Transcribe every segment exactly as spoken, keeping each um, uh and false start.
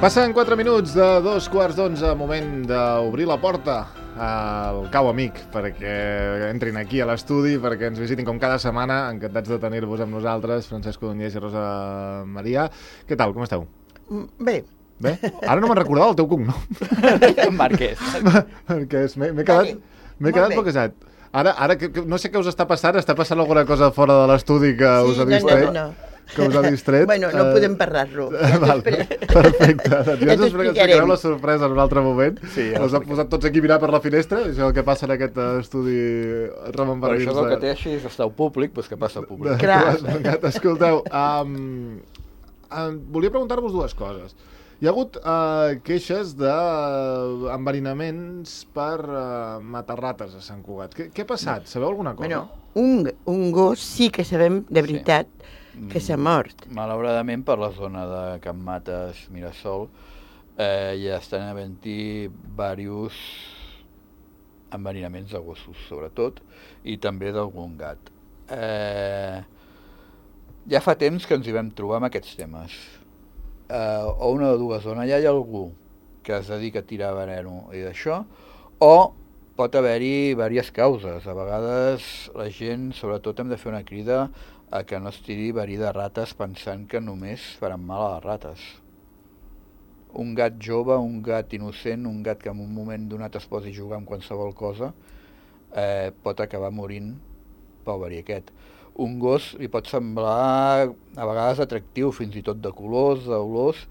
Passen quatre minuts de dos quarts d'onze, moment d'obrir la porta al Cau Amic perquè entrin aquí a l'estudi, perquè ens visitin com cada setmana. Encantats de tenir-vos amb nosaltres, Francesc Codonyés i Rosa Maria. Què tal, com esteu? Bé. Bé? Ara no me'n recordava el teu cognom. Marquès. Marquès, m'he quedat, m'he quedat bloquejat. Ara, ara que, que, no sé què us està passant, està passant alguna cosa fora de l'estudi que sí, us ha no, distret? no, no. Que us ha distret. Bueno, no uh... podem parlar-lo. Val, perfecte. Doncs ja ens explicareu la sorpresa en un altre moment. Sí, ja us han posat tots aquí a mirar per la finestra, això és el que passa en aquest estudi Ramon Barbins. Però això és el que té així, és estar públic, doncs què passa públic? Clar. Escolteu, um, um, volia preguntar-vos dues coses. Hi ha hagut uh, queixes d'enverinaments per uh, matar-rates a Sant Cugat. Què, què ha passat? Sabeu alguna cosa? Bueno, un, un gos sí que sabem de veritat sí. que s'ha mort. Malauradament per la zona de Can Mates, Mirasol, eh, ja estan havent-hi diversos enverinaments de gossos, sobretot, i també d'algun gat. Eh, ja fa temps que ens hi vam trobar amb aquests temes. Uh, o una de dues zones, ja hi ha algú que es dedica a tirar veneno i d'això, o pot haver-hi diverses causes. A vegades la gent, sobretot, hem de fer una crida a que no es tiri verí de rates pensant que només faran mal a les rates. Un gat jove, un gat innocent, un gat que en un moment donat es posi a jugar amb qualsevol cosa, eh, pot acabar morint pel verí aquest. Un gos li pot semblar a vegades atractiu, fins i tot de colors, d'olors,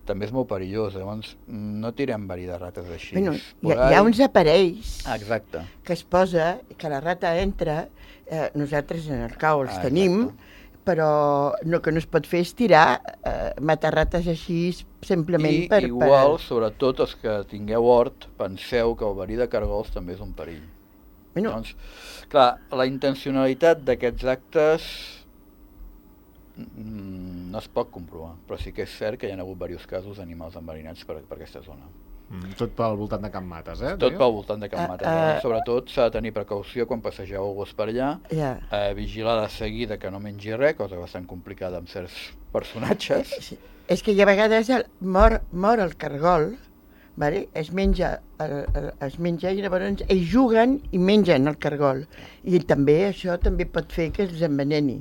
també és molt perillós, llavors no tirem verí de rates així. Bueno, hi, ha, hi ha uns aparells Exacte. que es posa, que la rata entra, eh, nosaltres en el cau els ah, tenim, però no, que no es pot fer és tirar, eh, matar rates així simplement I per... I igual, per... sobretot els que tingueu hort, penseu que el verí de cargols també és un perill. Bueno. Doncs, clar, la intencionalitat d'aquests actes mm, no es pot comprovar, però sí que és cert que hi ha hagut diversos casos d'animals enverinats per, per aquesta zona. Mm, tot pel voltant de Can Mates, eh? Tot pel voltant de Can Mates. Uh, uh, Sobretot s'ha de tenir precaució quan passegeu el gos per allà, yeah. eh, vigilar de seguida que no mengi res, cosa bastant complicada amb certs personatges. Sí. És que hi ha vegades el, mor, mor el cargol, vale? es menja el, el, es menja i llavors ells juguen i mengen el cargol, i també això també pot fer que els enveneni.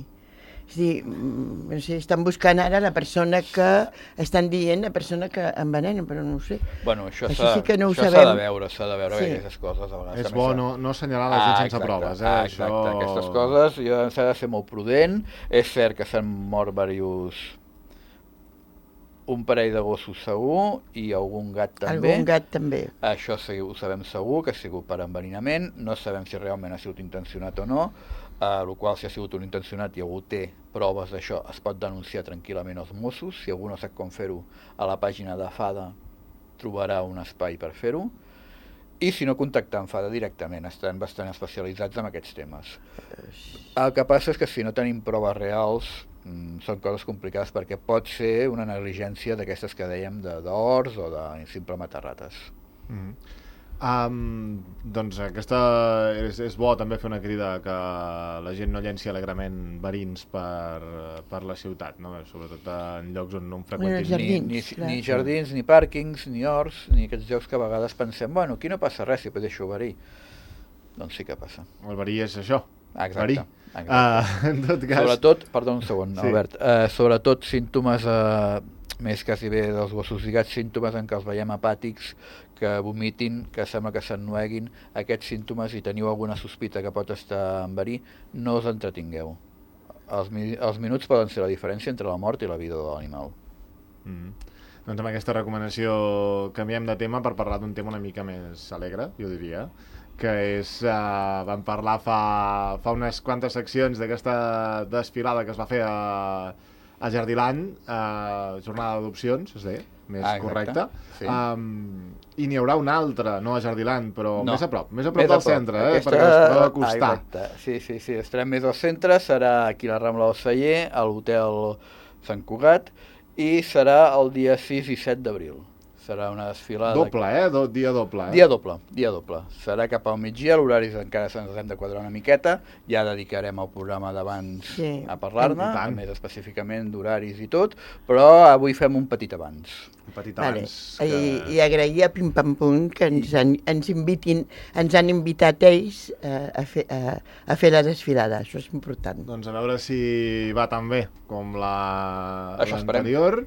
És a dir, no sé, estan buscant ara la persona que estan dient, la persona que envenena, però no ho sé. Bueno, això s'ha sí no de veure, s'ha de veure sí. aquestes coses. A vegades és bo no, no assenyalar la gent ah, sense exacte, proves. Eh? Ah, exacte, això... aquestes coses s'ha de ser molt prudent. És cert que s'han mort diversos, un parell de gossos segur i algun gat també. Algun gat també. Això sí, ho sabem segur, que ha sigut per enverinament. No sabem si realment ha sigut intencionat o no, eh, el qual si ha sigut un intencionat i algú té proves d'això es pot denunciar tranquil·lament als Mossos. Si algú no sap com fer-ho, a la pàgina de FADA trobarà un espai per fer-ho. I si no, contactar amb FADA directament, estan bastant especialitzats en aquests temes. El que passa és que si no tenim proves reals, mm, són coses complicades perquè pot ser una negligència d'aquestes que dèiem d'horts o de simple matar rates. Mm-hmm. Um, doncs aquesta és, és bo també fer una crida que la gent no llenci alegrement verins per, per la ciutat, no? Sobretot en llocs on no en freqüentin. Jardins, ni, ni, ni jardins, ni pàrquings, ni horts, ni aquests llocs que a vegades pensem, bueno, aquí no passa res si pot deixar verí. Doncs sí que passa. El verí és això, exacte, verí. Exacte. Uh, en tot cas... Sobretot, perdó un segon, sí. Albert, uh, sobretot símptomes, uh, més quasi bé dels gossos lligats, símptomes en què els veiem apàtics, que vomitin, que sembla que s'ennueguin, aquests símptomes, i teniu alguna sospita que pot estar en verí, no us entretingueu. Els, mi els minuts poden ser la diferència entre la mort i la vida de l'animal. Mm. Doncs amb aquesta recomanació canviem de tema per parlar d'un tema una mica més alegre, jo diria, que és, uh, vam parlar fa, fa unes quantes seccions d'aquesta desfilada que es va fer a, a Jardiland, uh, jornada d'adopcions, es deia, més ah, correcte, sí. um, i n'hi haurà una altra, no a Jardiland, però no. més a prop, més a prop més del prop. centre, eh, aquesta... perquè es pot acostar. Ah, exacte, sí, sí, sí, estarem més al centre, serà aquí a la Rambla del Celler, a l'hotel Sant Cugat, i serà el dia sis i set d'abril. serà una desfilada... Doble, eh? Do, dia doble, eh? Dia doble, dia doble. Serà cap al migdia, l'horari encara se'ns hem de quadrar una miqueta, ja dedicarem el programa d'abans Sí. a parlar-ne, I tant. més específicament d'horaris i tot, però avui fem un petit abans. Un petit Vale. abans. I, Que... I agrair a Pim Pam Pum que ens han, ens invitin, ens han invitat ells eh, a, fer, a, a fer la desfilada, això és important. Doncs a veure si va tan bé com la- Això esperem. l'anterior.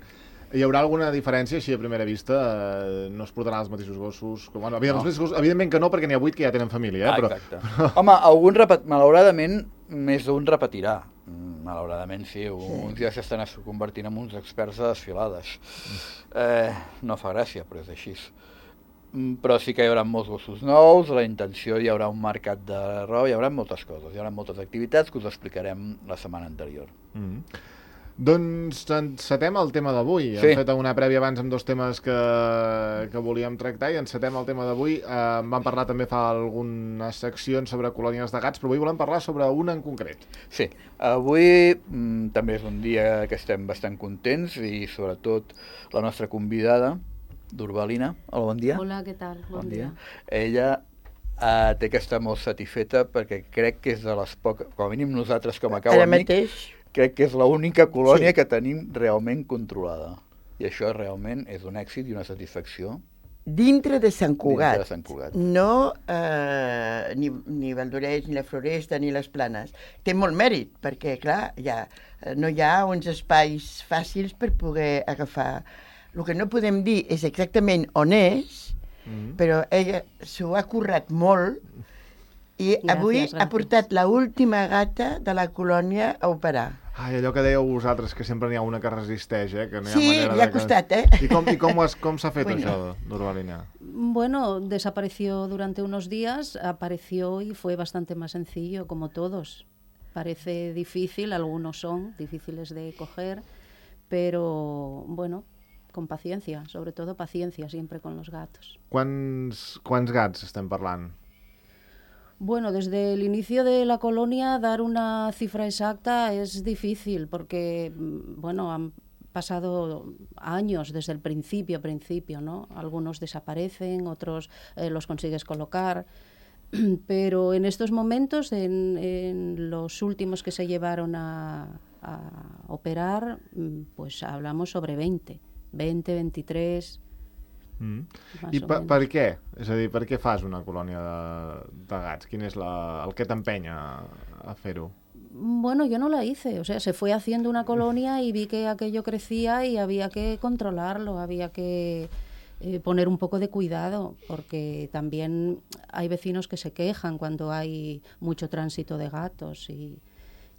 Hi haurà alguna diferència, així a primera vista? Eh, no es portaran els mateixos gossos? Com, bueno, evidentment, No. els mateixos gossos, evidentment que no, perquè n'hi ha vuit que ja tenen família, eh? Ah, però, exacte. Però... Home, algun repet... malauradament, més d'un repetirà. Mm, Malauradament, sí, uns ja s'estan convertint en uns experts de desfilades. Eh, no fa gràcia, però és així. Mm, Però sí que hi haurà molts gossos nous, la intenció hi haurà un mercat de roba, hi haurà moltes coses, hi haurà moltes activitats que us explicarem la setmana anterior. Mm. Doncs encetem el tema d'avui. Sí. Hem fet una prèvia abans amb dos temes que, que volíem tractar i encetem el tema d'avui. Eh, vam parlar també fa algunes seccions sobre colònies de gats, però avui volem parlar sobre una en concret. Sí, avui mm, també és un dia que estem bastant contents i sobretot la nostra convidada, d'Urbalina. Hola, bon dia. Hola, què tal? Bon, dia. Ella eh, té que estar molt satisfeta perquè crec que és de les poques, com a mínim nosaltres com a Cau Ara Amic, mateix, crec que és l'única colònia Sí. que tenim realment controlada. I això realment és un èxit i una satisfacció. dintre de Sant Cugat, Dintre de Sant Cugat. no eh, ni, ni Valldoreix, ni la Floresta, ni les Planes. Té molt mèrit, perquè, clar, ja, eh, no hi ha uns espais fàcils per poder agafar. El que no podem dir és exactament on és, Mm. però ella s'ho ha currat molt i Gràcies, avui ha gràcies. portat la última gata de la colònia a operar. Ai, allò que dèieu vosaltres, que sempre n'hi ha una que resisteix, eh? Que no hi ha Sí, manera li ha de que... costat, eh? I com, i com, has, com s'ha fet Bueno. això, Norbalina? Bueno, desapareció durante unos días, apareció y fue bastante más sencillo, como todos. Parece difícil, algunos son difíciles de coger, pero bueno, con paciencia, sobre todo paciencia siempre con los gatos. Quants, quants gats estem parlant? Bueno, desde el inicio de la colonia dar una cifra exacta es difícil porque, mm, bueno, han pasado años desde el principio, principio, ¿no? Algunos desaparecen, otros eh, los consigues colocar, pero en estos momentos, en, en los últimos que se llevaron a, a operar, mm, pues hablamos sobre veinte, veinte, veintitrés... Mm. Más I o per, menos. per què? És a dir, per què fas una colònia de, de gats? Quin és la, el que t'empenya a, a fer-ho? Bueno, yo no la hice, o sea, se fue haciendo una colonia y vi que aquello crecía y había que controlarlo, había que eh, poner un poco de cuidado, porque también hay vecinos que se quejan cuando hay mucho tránsito de gatos y,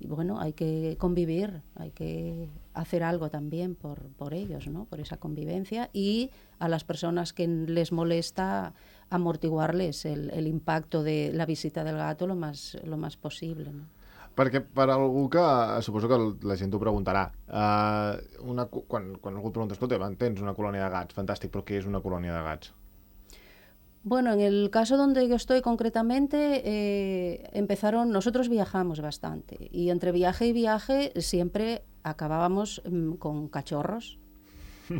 y bueno, hay que convivir, hay que hacer algo también por, por ellos, ¿no? Por esa convivencia y a las personas que les molesta amortiguarles el, el impacto de la visita del gato lo más, lo más posible, ¿no? Perquè per algú que, suposo que la gent t'ho preguntarà, uh, una, co- quan, quan algú et pregunta, escolta, tens una colònia de gats, fantàstic, però què és una colònia de gats? Bueno, en el caso donde yo estoy concretamente, eh, empezaron, nosotros viajamos bastante y entre viaje y viaje siempre acabábamos mm, con cachorros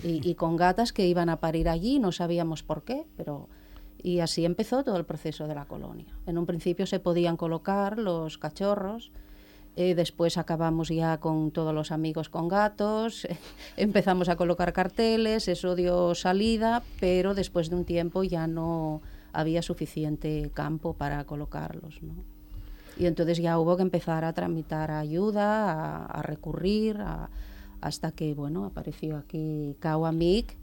y, y con gatas que iban a parir allí, no sabíamos por qué, pero... Y así empezó todo el proceso de la colonia. En un principio se podían colocar los cachorros, eh, después acabamos ya con todos los amigos con gatos, empezamos a colocar carteles, eso dio salida, pero después de un tiempo ya no había suficiente campo para colocarlos, ¿no? Y entonces ya hubo que empezar a tramitar ayuda, a, a recurrir, a- hasta que, bueno, apareció aquí Cau Amic,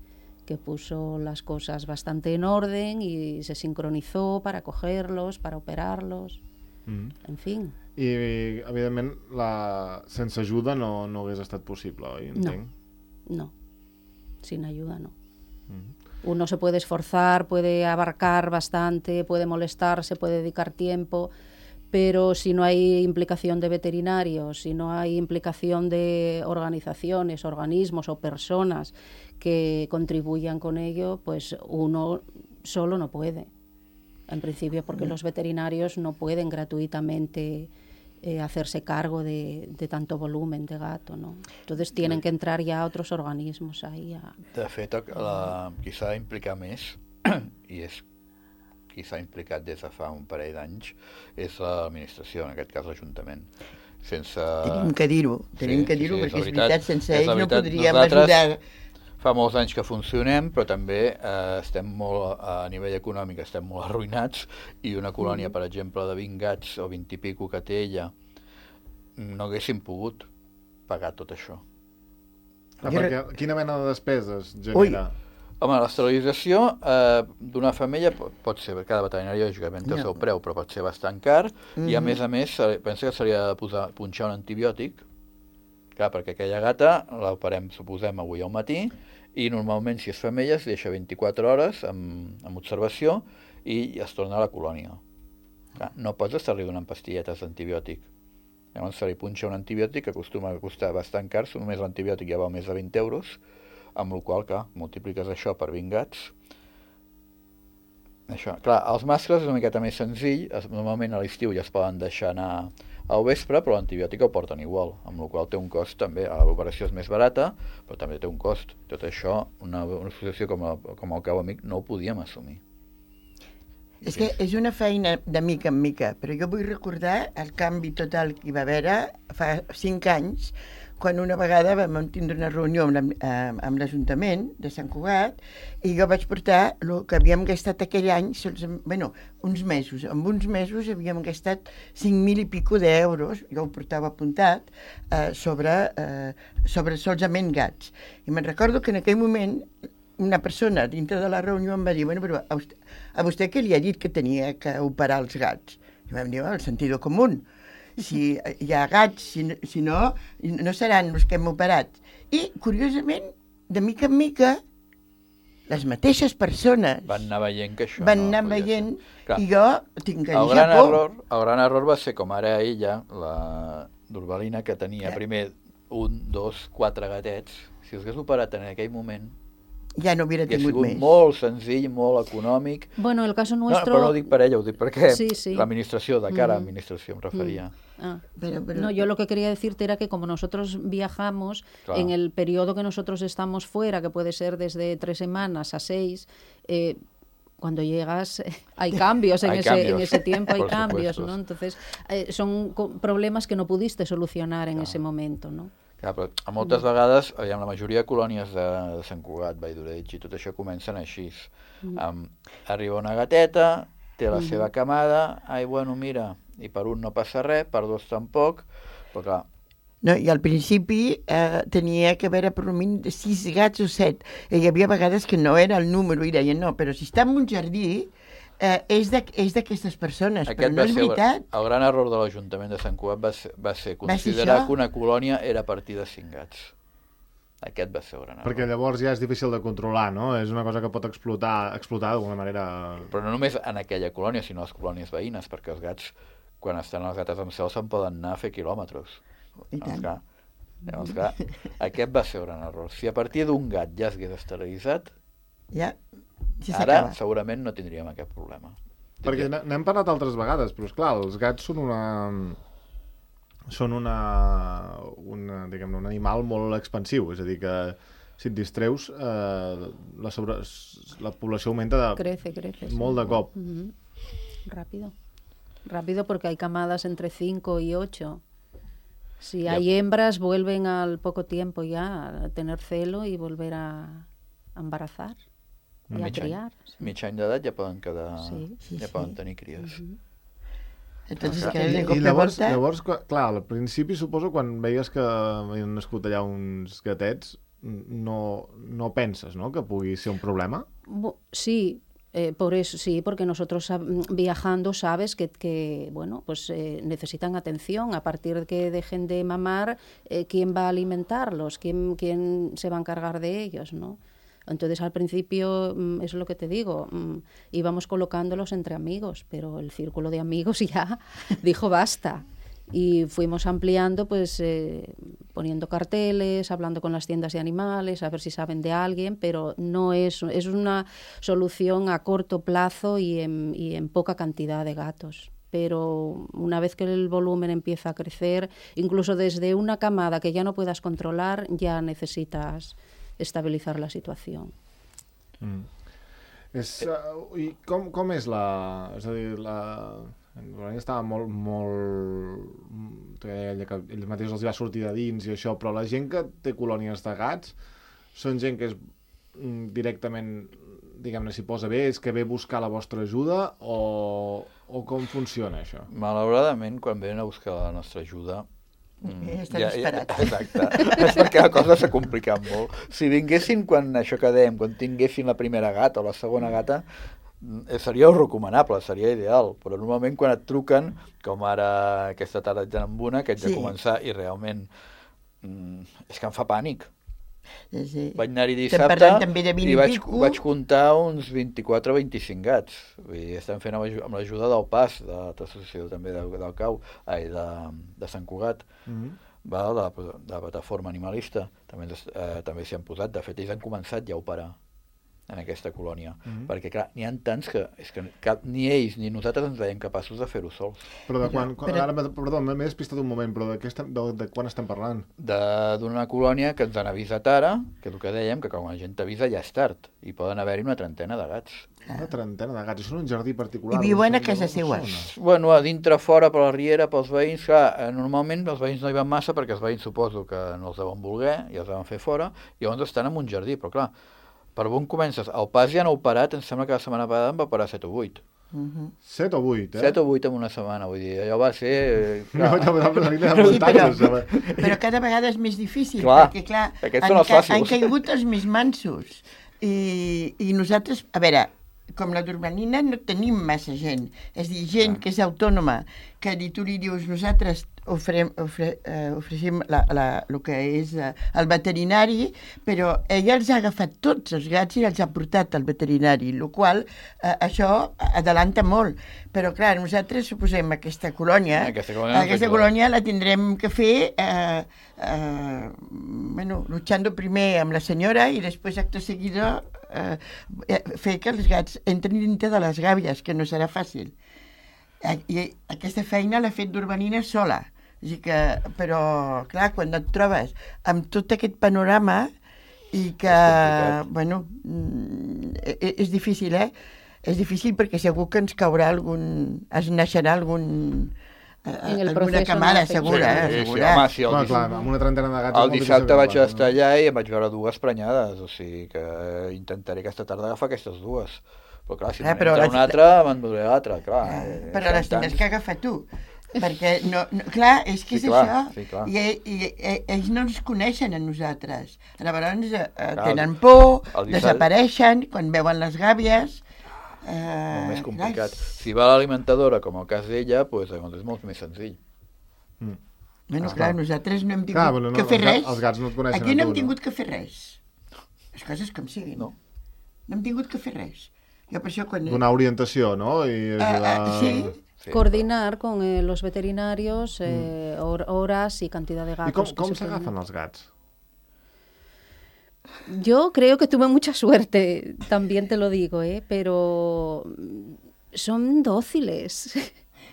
que puso las cosas bastante en orden y se sincronizó para cogerlos, para operarlos, Mm. en fin. I, evidentment, la... sense ajuda no, no hagués estat possible, oi? Entenc. No, sin ayuda no. Mm. Uno se puede esforzar, puede abarcar bastante, puede molestarse, puede dedicar tiempo, pero si no hay implicación de veterinarios, si no hay implicación de organizaciones, organismos o personas que contribuyan con ello, pues uno solo no puede. En principio, porque los veterinarios no pueden gratuitamente eh, hacerse cargo de, de tanto volumen de gato, ¿no? Entonces tienen que entrar ya otros organismos ahí. A... De fet, la, qui s'ha d'implicar més, i és qui s'ha implicat des de fa un parell d'anys, és l'administració, en aquest cas l'Ajuntament. Sense... Tenim que dir-ho, tenim Sí, que sí, dir-ho, sí, és perquè la és veritat, veritat, sense és la ells no veritat. podríem Nosaltres ajudar. Fa molts anys que funcionem, però també eh, estem molt, a nivell econòmic, estem molt arruïnats, i una colònia, per exemple, de vint gats o vint i pico que té ella, no haguéssim pogut pagar tot això. Ah, perquè quina mena de despeses genera? Ui. Home, l'esterilització eh, d'una femella pot, pot ser, cada veterinari lògicament té el No. seu preu, però pot ser bastant car, Mhm. i a més a més, se li- pensa que se li ha de posar, punxar un antibiòtic, clar, perquè aquella gata l'operem, suposem, avui al matí, i normalment, si és femella, es deixa vint-i-quatre hores amb, amb observació i es torna a la colònia. Clar, no pots estar-li donant pastilletes d'antibiòtic. Llavors se li punxa un antibiòtic que acostuma a costar bastant car, només l'antibiòtic ja val més de vint euros, amb la qual cosa, multipliques això per vint gats. Això. Clar, els mascles és una miqueta més senzill, es, normalment a l'estiu ja es poden deixar anar al vespre, però l'antibiòtic ho porten igual, amb la qual cosa té un cost també, l'operació és més barata, però també té un cost. Tot això, una, una associació com, la, com el Cau Amic no ho podíem assumir. És que és una feina de mica en mica, però jo vull recordar el canvi total que hi va haver fa cinc anys, quan una vegada vam tindre una reunió amb, la, amb l'Ajuntament de Sant Cugat i jo vaig portar el que havíem gastat aquell any, sols, bueno, uns mesos. En uns mesos havíem gastat cinc mil i pico d'euros, jo ho portava apuntat, eh, sobre, eh, sobre solament gats. I me'n recordo que en aquell moment una persona dintre de la reunió em va dir, bueno, però a vostè, a vostè què li ha dit que tenia que operar els gats? I vam dir, oh, el sentido común. Si hi ha gats, si no, si no, no seran els que hem operat. I, curiosament, de mica en mica, les mateixes persones Van anar veient que això van no anar podia veient ser. Clar, i jo tinc que el dir gran, japó. error, el gran error va ser com ara ella, la Durvalina, que tenia Clar. primer un, dos, quatre gatets. Si els hagués operat en aquell moment, Ja no hubiera hauria tingut sigut més. molt senzill, molt econòmic. Bueno, el caso No, nuestro... però no ho dic per ella, ho dic perquè Sí, sí. l'administració, de cara a Mm. l'administració em referia. Ah. Pero- pero- No, yo lo que quería decirte era que como nosotros viajamos, Claro. en el periodo que nosotros estamos fuera, que puede ser desde tres semanas a seis, eh, cuando llegas eh, hay cambios en, Hay ese, cambios, en ese tiempo, hay por cambios, supuesto. ¿no? Entonces, eh, son co- problemas que no pudiste solucionar en Claro. ese momento, ¿no? Clar, però a moltes vegades, aviam, la majoria de colònies de, de Sant Cugat, Vall d'Oreix i tot això comencen així. Um, arriba una gateta, té la seva camada, ai, bueno, mira, i per un no passa res, per dos tampoc, però clar, No, i al principi eh, tenia que haver per un mínim de sis gats o set. I hi havia vegades que no era el número i deien, no, però si està en un jardí eh, és de- és d'aquestes persones, però aquest no va és ser veritat. el gran error de l'Ajuntament de Sant Cugat va ser, va ser Va ser considerar això? que una colònia era a partir de cinc gats. Aquest va ser el gran error. Perquè llavors ja és difícil de controlar, no? És una cosa que pot explotar, explotar d'alguna manera... Però no només en aquella colònia, sinó les colònies veïnes, perquè els gats, quan estan les gates amb cel, se'n poden anar a fer quilòmetres. I Llavors, tant. clar, llavors, clar, aquest va ser un gran error. Si a partir d'un gat ja s'hagués esterilitzat, Ja, si ara s'acaba. segurament no tindríem aquest problema. Perquè n- n'hem parlat altres vegades, però esclar, els gats són una... són una, una diguem-ne, un animal molt expansiu, és a dir, que si et distreus, eh, la, sobre... la població augmenta de... Crece, crece. sí. Molt de cop. Ujú. Rápido. Rápido porque hay camadas entre cinco y ocho. Si Ya. hay hembras, vuelven al poco tiempo ya a tener celo y volver a a embarazar y a Mig any, criar. sí. mig any d'edat ja poden quedar... Sí. Sí, ja sí. poden tenir cries. Entonces, Clar. que de I, cop i de llavors, volta... llavors, qua- clar, al principi suposo quan veies que havien nascut allà uns gatets, no, no penses, no?, que pugui ser un problema? Bu- Sí, eh, por eso sí, porque nosotros sab- viajando sabes que, que bueno, pues eh, necesitan atención. A partir de que dejen de mamar, eh, ¿quién va a alimentarlos? ¿Quién, quién se va a encargar de ellos, no? Entonces al principio, mm, es lo que te digo, mm, íbamos colocándolos entre amigos, pero el círculo de amigos ya dijo basta. Y fuimos ampliando, pues eh, poniendo carteles, hablando con las tiendas de animales, a ver si saben de alguien, pero no es, es una solución a corto plazo y en, y en poca cantidad de gatos. pero una vez que el volumen empieza a crecer, incluso desde una camada que ya no puedas controlar, ya necesitas estabilizar la situación. Mm. És, uh, i com, com és la... És a dir, la... L'Olània estava molt, molt... Ella, que ells mateixos els va sortir de dins i això, però la gent que té colònies de gats són gent que és mm, directament, diguem-ne, s'hi posa bé, és que ve buscar la vostra ajuda o, o com funciona això? Malauradament, quan venen a buscar la nostra ajuda, Mm, estan ja, esperats. Ja, exacte. És perquè la cosa s'ha complicat molt. Si vinguessin quan això que dèiem, quan tinguessin la primera gata o la segona gata, seria recomanable, seria ideal, però normalment quan et truquen, com ara aquesta tarda ja amb una, que haig de Sí. començar i realment mm, és que em fa pànic. Sí, sí. Vaig anar-hi Estem dissabte parlant també de vint i i vaig, pico. vaig comptar uns vint-i-quatre o vint-i-cinc gats. Vull dir, estem fent amb aju- amb l'ajuda del P A S, de l'associació també del, del Cau, ai, de, de Sant Cugat, Mm-hmm. val, de, la, de la plataforma animalista. També, ens- eh, també s'hi han posat. De fet, ells han començat ja a operar en aquesta colònia. Mhm. Perquè, clar, n'hi ha tants que, és que cap, ni ells ni nosaltres ens veiem capaços de fer-ho sols. Però de quan... quan Però- ara, m'he- perdó, m'he despistat un moment, però de, què estem, de, de quan estem parlant? De- d'una colònia que ens han avisat ara, que és el que dèiem, que quan la gent t'avisa ja és tard, i poden haver-hi una trentena de gats. Una trentena de gats. I són un jardí particular. I viuen on a són casa dues seua. persones. Bueno, a dintre, fora, per la riera, pels veïns, clar, eh, normalment els veïns no hi van massa perquè els veïns suposo que no els deuen voler i els deuen fer fora, i llavors estan en un jardí, però clar, per on comences? El P A S ja no ha operat, em sembla que la setmana passada en va operar set o vuit. Mhm. Set o vuit, eh? set o vuit en una setmana, vull dir, allò va ser... eh, No, clar, ja m'ha pensat que Sí, eren però, muntanyes. però cada vegada és més difícil, Clar, perquè clar, aquests han, són els ca- fàcils. han caigut els més mansos. I, I nosaltres, a veure, com la d'Urbanina no tenim massa gent, és a dir, gent Ah. que és autònoma, que li, tu li dius, nosaltres ofrem, ofre, eh, ofereixem la, la, el que és eh, el veterinari, però ella els ha agafat tots els gats i els ha portat al veterinari, el qual eh, això adelanta molt. Però clar, nosaltres suposem aquesta colònia, Aquesta colònia aquesta ens colònia la tindrem que fer eh, eh, bueno, luchando primer amb la senyora i després acte seguida eh, fer que els gats entrin dintre de les gàbies, que no serà fàcil. I aquesta feina l'ha fet d'Urbanina sola. O sigui que, però, clar, quan et trobes amb tot aquest panorama i que, complicat. bueno, mm, e- és difícil, eh? És difícil perquè segur que ens caurà algun... es naixerà algun... eh, En el alguna proceso camada, no afecta. segura, eh? sí, sí, Segura. home, sí, el, Clar, dis- clar, amb una trentena de gats... és el molt dissabte difícil vaig que estar passi, allà i em vaig veure dues prenyades, o sigui que intentaré aquesta tarda agafar aquestes dues. Però clar, si Eh, me'n però entra les- una altra, me'n duré l'altra, clar. eh, Però són les tindràs tants. que agafar tu. Perquè, no, no, clar, és que Sí, és clar, això. sí, clar. I, i, i ells no ens coneixen a nosaltres. Llavors eh, Clar, tenen por, el dissabte- desapareixen quan veuen les gàbies. Eh, Molt més complicat. clar, Si va a l'alimentadora, com el cas d'ella, doncs, llavors és molt més senzill. Mm. Bueno, Ah, clar, clar. nosaltres no hem tingut Clar, però no, que fer els ga- res. els gats no et coneixen Aquí a no tu, hem no? tingut que fer res. Les coses com siguin. No. No hem tingut que fer res. Jo per això quan... Donar orientació, no? I Eh, ajudar... eh, sí. Sí, Coordinar con eh, los veterinarios eh, hor- horas y cantidad de gatos. I com, que com se pueden- s'agafen els gats? Yo creo que tuve mucha suerte, también te lo digo, ¿eh? Pero mm, son dóciles.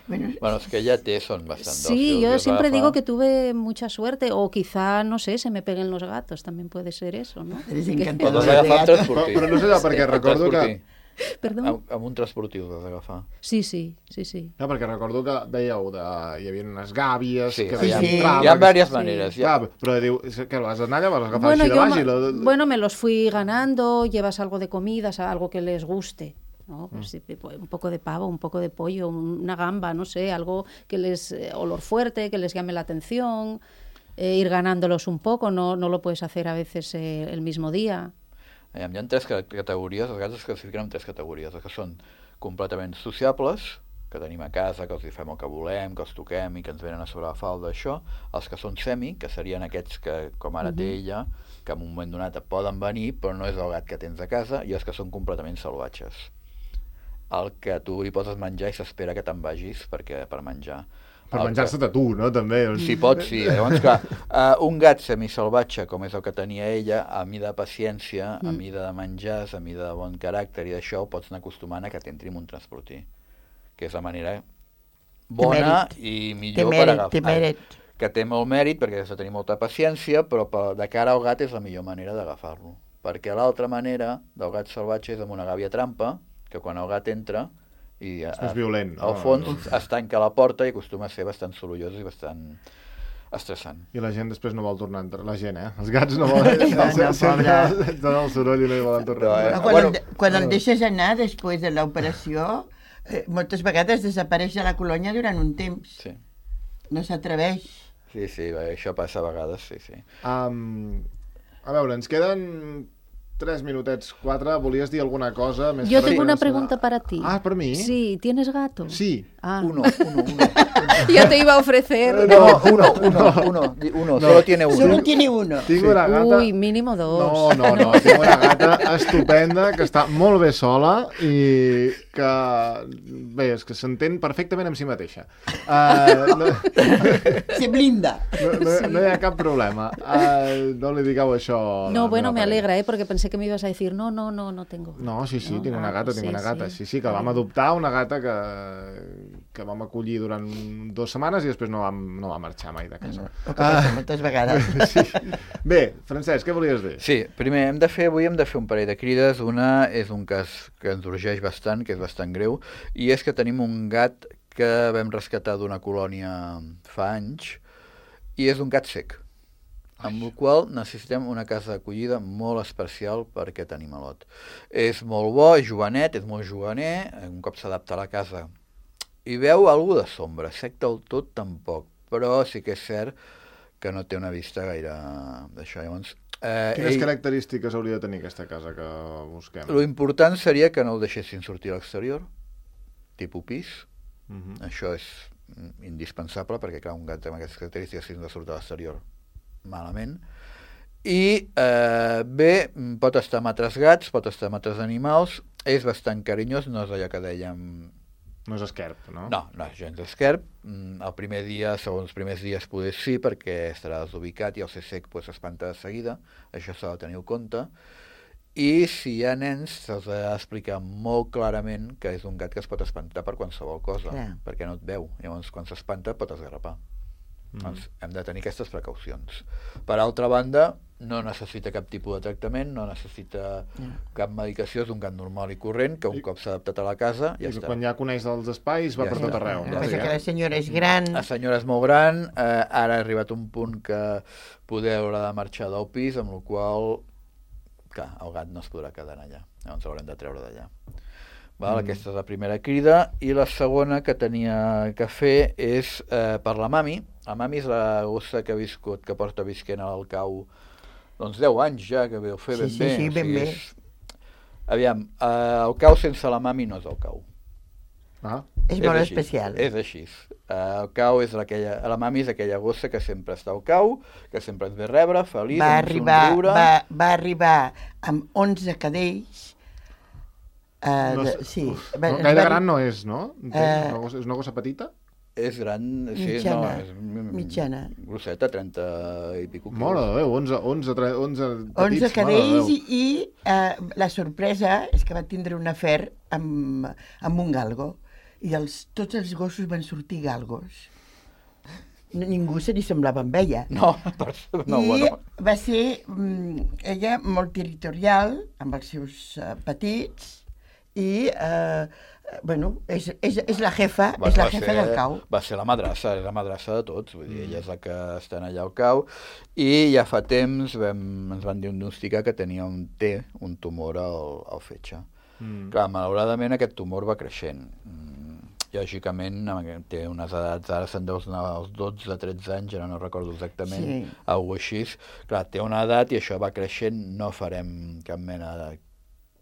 Bueno, Bueno, els que ja té són bastant Sí, dòcils, i yo els siempre agafa. digo que tuve mucha suerte, o quizá, no sé, se me peguen los gatos, también puede ser eso, ¿no? eres Però encantador els de agafa amb gato. transportiu. Però- però no sé jo, perquè Amb recordo que- transportiu. Perdón. Amb, amb un transportiu els has d'agafar. Sí, sí, sí, sí. No, perquè recordo que dèieu de... hi havia unes gàbies Sí, que hi ha, sí. entraven, hi ha que- diverses Sí. maneres. Hi Clar, ha, però diu, és que vas anar allà, vas agafar Bueno, així de yo baix ma- i... La... bueno, me los fui ganando, llevas algo de comida, o sea, algo que les guste, ¿no? Pues, sí, pues, un poco de pavo, un poco de pollo, una gamba, no sé, algo que les, eh, olor fuerte, que les llame la atención, eh, ir ganándolos un poco, no, no lo puedes hacer a veces eh, el mismo día. hi ha tres ca- categories, els gats es classifiquen en tres categories, els que són completament sociables, que tenim a casa, que els hi fem el que volem, que els toquem i que ens venen a sobre la falda, això, els que són semi, que serien aquests que, com ara té ella, que en un moment donat et poden venir, però no és el gat que tens a casa, i els que són completament salvatges. El que tu li poses menjar i s'espera que te'n vagis perquè, per menjar. Per El menjar-se que- de tu, no? També. O sigui, Si pots, sí. Llavors, clar, uh, un gat semisalvatge, com és el que tenia ella, a mida de paciència, a mida de menjars, a mida de bon caràcter i d'això, ho pots anar acostumant a que t'entri en un transportí, que és la manera bona i Té millor per mèrit, agafar. té mèrit. Que té molt mèrit perquè has de tenir molta paciència, però de cara al gat és la millor manera d'agafar-lo. Perquè l'altra manera del gat salvatge és amb una gàbia trampa, que quan el gat entra i a, És violent, no? al fons es tanca la porta i acostuma a ser bastant sorollós i bastant estressant. I la gent després no vol tornar a entrar. La gent, eh? Els gats no volen... No, no, sempre pobre. donen el soroll i no hi volen tornar a No, eh? entrar. No, quan, bueno, el, quan el deixes anar després de l'operació, eh, moltes vegades desapareix a la colònia durant un temps. Sí, No s'atreveix. sí, sí, bé, això passa a vegades, sí, sí. Um, a veure, ens queden tres minutets, quatre. Volies dir alguna cosa més? Yo per tengo una relacionar- pregunta para ti. Ah, ¿por mí? Sí, ¿tienes gato? Sí. Ah. Uno, uno, uno. Yo te iba a ofrecer. No, uno, uno, uno, di- uno, solo tiene uno. Solo tiene uno. Tinc una gata... Uy, mínimo dos. No, no, no, tinc una gata estupenda que està molt bé sola i que, bé, és que s'entén perfectament amb si mateixa. Uh, no, Se blinda. no, no, no hi ha cap problema. Uh, no li digueu això a la No, bueno, meva me parella. alegra, ¿eh? Porque pensé que me ibas a decir, no, no, no, no tengo. No, sí, sí, No, tinc una ah, gata, tinc sí, una gata. sí. Sí, sí, que vam adoptar una gata que, que vam acollir durant dues setmanes i després no vam, no va marxar mai de casa. El que passa moltes vegades. Sí. Bé, Francesc, què volies dir? Sí, primer hem de fer, avui hem de fer un parell de crides. Una és un cas que ens urgeix bastant, que és bastant greu, i és que tenim un gat que vam rescatar d'una colònia fa anys, i és un gat sec, amb el qual necessitem una casa d'acollida molt especial per aquest animalot. És molt bo, és jovenet, és molt juganer, un cop s'adapta a la casa i veu alguna de sombra, sec del tot tampoc, però sí que és cert que no té una vista gaire d'això. Llavors, eh, Quines ell- característiques hauria de tenir aquesta casa que busquem? Lo important seria que no el deixessin sortir a l'exterior, tipus pis. Mhm. Això és mm, indispensable, perquè clar, un gat amb aquestes característiques si no surt a l'exterior malament. I eh, bé, mm, pot estar amb altres gats, pot estar amb altres animals, és bastant carinyós, no és allò que dèiem... No és esquerp, no? No, no és gens esquerp. Mm, El primer dia, segons els primers dies, poder sí, perquè estarà desubicat i el ser sec pues, s'espanta de seguida. Això s'ha de tenir en compte. I si hi ha nens, se'ls ha d'explicar molt clarament que és un gat que es pot espantar per qualsevol cosa, Clar. perquè no et veu. Llavors, quan s'espanta, pot esgarrapar. Mhm. Doncs hem de tenir aquestes precaucions. Per altra banda, no necessita cap tipus de tractament, no necessita cap medicació, és un gat normal i corrent, que un I- cop s'ha adaptat a la casa, ja I que està. quan ja coneix els espais va Ja per tot està. arreu. El no? que passa Sí, que eh? la senyora és gran. La senyora és molt gran, eh, ara ha arribat un punt que poder haurà de marxar del pis, amb la qual clar, el gat no es podrà quedar allà, llavors l'haurem de treure d'allà. Val? Mm. Aquesta és la primera crida, i la segona que tenia que fer és eh, per la Mami. La Mami és la gossa que ha viscut, que porta visquent al cau doncs deu anys ja, que veu fer Sí, ben sí, bé. sí, o ben sigui, bé. És... Aviam, eh, el cau sense la Mami no és el cau. Ah, És molt així, especial. És així. Uh, el cau és aquella, la Mami és aquella gossa que sempre està al cau, que sempre ens ve a rebre, feliç, Va amb un arribar, somriure. va, va arribar amb onze cadells. Uh, no, de, és- sí. uf, Va- no, ens gaire va- gran no és, no? Entenc? Eh, Una gossa- és una gossa petita? És gran, sí, Mitjana, no, és mm, mitjana. grosseta, trenta i pico quilos. Mare de Déu, onze, onze, tre- onze petits, onze mare de cadells Déu. i, i uh, la sorpresa és que va tindre un afer amb, amb un galgo i els, tots els gossos van sortir galgos. No, ningú se li semblava amb ella. No, per, no, I bueno. va ser mm, ella molt territorial amb els seus uh, petits i uh, bueno, és, és, és la jefa, Va- és la va jefa ser- del cau. Va ser la madrassa, és la madrassa de tots, vull dir, ella és la que està allà al cau, i ja fa temps vam, ens van diagnosticar que tenia un T, un tumor al, al fetge. Mm. Clar, malauradament aquest tumor va creixent. Mm, lògicament té unes edats, ara se'n deus anar als dotze, tretze anys, ara no recordo exactament, Sí. alguna així. Clar, té una edat i això va creixent, no farem cap mena de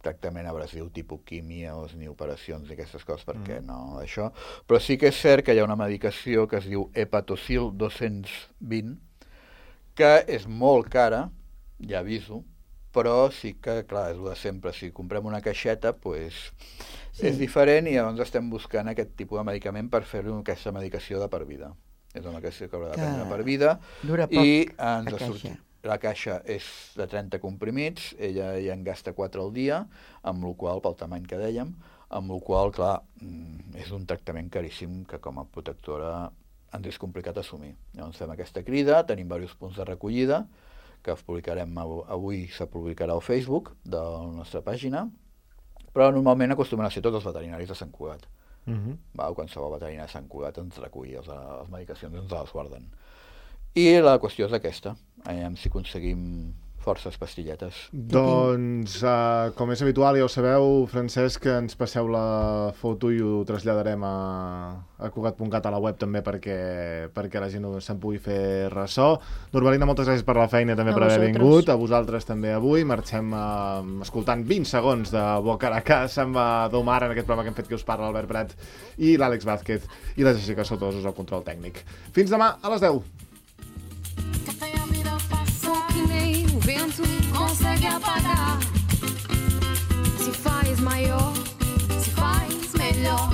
tractament abrasiu, tipus químios, ni operacions i aquestes coses, perquè mm. no, això. Però sí que és cert que hi ha una medicació que es diu Hepatocil dos-cents vint, que és molt cara, ja aviso, però sí que, clar, és el de sempre, si comprem una caixeta, doncs Sí. és diferent, i llavors estem buscant aquest tipus de medicament per fer-ho aquesta medicació de per vida. És una medicació que haurà de prendre Que per vida, dura poc, i la ens ha caixa. sortit. La caixa és de trenta comprimits, ella ja en gasta quatre al dia, amb la qual, pel tamany que dèiem, amb la qual cosa, clar, és un tractament caríssim que com a protectora ens és complicat assumir. Llavors fem aquesta crida, tenim diversos punts de recollida, que els publicarem avui, se publicarà al Facebook de la nostra pàgina, però normalment acostumen a ser tots els veterinaris de Sant Cugat. Uh-huh. Va, qualsevol veterinari de Sant Cugat ens recull, les, les medicacions ens les guarden. I la qüestió és aquesta, aviam si aconseguim forces pastilletes. Doncs, uh, com és habitual, ja ho sabeu, Francesc, que ens passeu la foto i ho traslladarem a, a Cugat punt cat a la web també perquè, perquè la gent se'n pugui fer ressò. Norbalina, moltes gràcies per la feina també A per haver vosaltres. vingut. A vosaltres també avui. Marxem uh, escoltant vint segons de Bocaracàs amb uh, Domar en aquest programa que hem fet que us parla l'Albert Prat i l'Àlex Vázquez i la Jessica Sotosos al control tècnic. Fins demà a les deu. Vento consegue apagar. Se faz maior, se faz melhor.